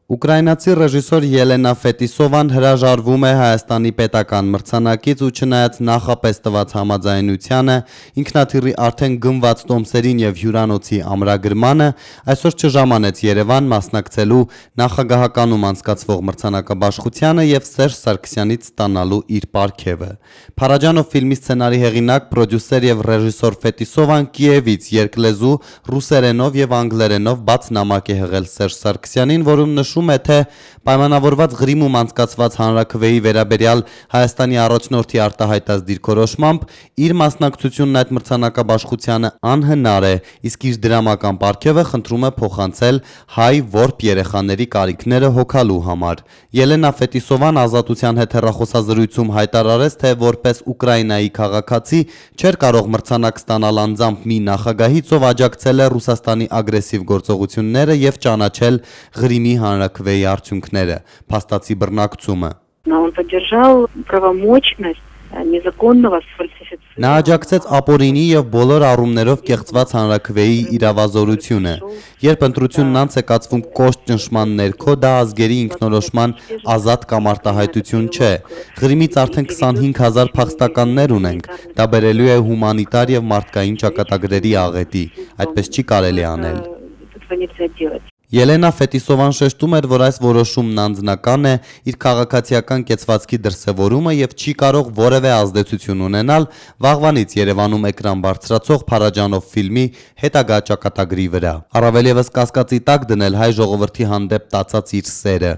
Ուկրաինացի ռեժիսոր Ելենա Ֆետիսովան հրաժարվում է Հայաստանի պետական մրցանակից ու չնայած նախապես տված համաձայնությանը, ինքնաթիռի արդեն գնված տոմսերին եւ հյուրանոցի ամրագրմանը, այսօր չժամանեց Երևան մասնակցելու նախագահականում անցկացվող մրցանակաբաշխությանը եւ Սերժ Սարգսյանից ստանալու իր պարգևը։ Փարաջանով ֆիլմի սցենարի հեղինակ, պրոդյուսեր եւ ռեժիսոր Ֆետիսովան Կիևից երկլեզու, ռուսերենով եւ անգլերենով բաց նամակ է հղել Սերժ Սարգսյանին, որում նշում է, թե պայմանավորված Ղրիմում անցկացված հանրաքվեի վերաբերյալ Հայաստանի առաջնորդի արտահայտած դիրքորոշմամբ իր մասնակցությունն այդ մրցանակաբաշխությանը անհնար է, իսկ իր դրամական պարգևը խնդրում է փոխանցել հայ որբ երեխաների կարիքները հոգալու համար։ Ելենա Ֆետիսովան Ազատության հետ հեռախոսազրույցում հայտարարեց, թե որպես Ուկրաինայի քաղաքացի չէր կարող մրցանակ ստանալ անձամբ մի նախագահից, ով աջակցել է Ռուսաստանի ագրեսիվ գործողությունները եւ ճանաչել Ղրիմի հանրաքվեի արդյունքները, փաստացի բռնակցումը։ Նա աջակցեց ապօրինի եւ բոլոր առումներով կեղծված հանրաքվեի իրավազորությունը։ Երբ ընտրությունն անց է կացվում կոշտ ճնշման ներքո, դա ազգերի ինքնորոշման ազատ կամ արտահայտություն չէ։ Ղրիմից արդեն 25,000 փախստականներ ունենք։ Դա բերելու է հումանիտար եւ մարդկային ճակատագրերի աղետի։ Այդպես չի կարելի անել։ Ելենա Ֆետիսովան շեշտում էր, որ այս որոշումն անձնական է, իր քաղաքացիական կեցվածքի դրսևորումը եւ չի կարող որևէ ազդեցություն ունենալ վաղվանից Երևանում էկրան բարձրացող Փարաջանով ֆիլմի հետագա ճակատագրի վրա։ Առավել եւս կասկածի տակ դնել հայ ժողովրդի հանդեպ տածած իր սերը։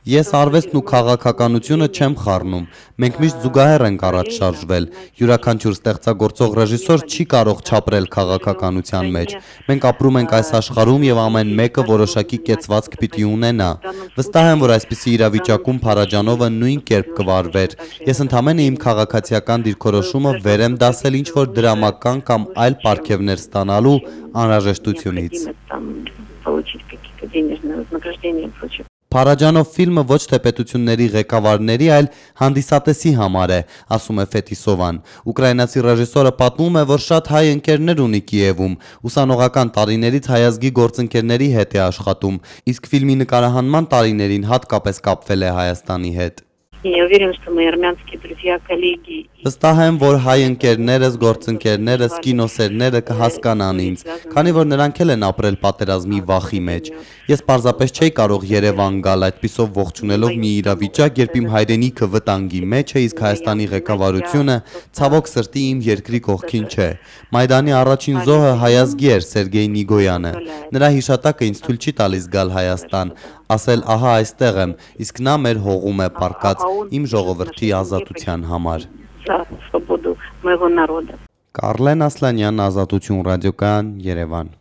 Ես արվեստն ու քաղաքականությունը չեմ խառնում։ Մենք միշտ զուգահեռ ենք առաջ շարժվել։ Յուրաքանչյուր ստեղծագործող ռեժիսոր չի կարող չապրել քաղաքականության մեջ։ Մենք ապրում ենք այս աշխարհում եւ ամեն մեկը որոշակի կեցվածք պիտի ունենա։ Վստահ եմ, որ այսպիսի իրավիճակում Փարաջանովը նույն կերպ կվարվեր։ Ես ընդամենը իմ քաղաքացիական դիրքորոշումը վեր եմ դասել ինչ-որ դրամական կամ այլ պարգևներ ստանալու անհրաժեշտությունից։ Փարաջանով ֆիլմը ոչ թե պետությունների ղեկավարների, այլ հանդիսատեսի համար է, ասում է Ֆետիսովան։ Ուկրաինացի ռեժիսորը պատմում է, որ շատ հայ ընկերներ ունի Կիևում, ուսանողական տարիներից հայազգի գործընկերների հետ է աշխատում, իսկ ֆիլմի նկարահանման տարիներին հատկապես կապվել է Հայաստանի հետ։ Վստահ եմ, որ հայ ընկերներս, գործընկերներս, կինոսերները կհասկանան ինձ, քանի որ նրանք էլ են ապրել պատերազմի վախի մեջ։ Ես պարզապես չէի կարող Երևան գալ այդպիսով ողջունելով մի իրավիճակ, երբ իմ հայրենիքը վտանգի մեջ է, իսկ Հայաստանի ղեկավարությունը ցավոք սրտի իմ երկրի կողքին չէ։ Մայդանի առաջին զոհը հայազգի էր Սերգեյ Նիգոյանը։ Նրա հիշատակը ինձ թույլ չի տալիս գալ Հայաստան, ասել ահա այստեղ եմ, իսկ նա մեր հողում է պառկած իմ ժողովրդի ազատության համար։ Կարլեն Ասլանյան, Ազատություն ռադիոկայան, Երևան։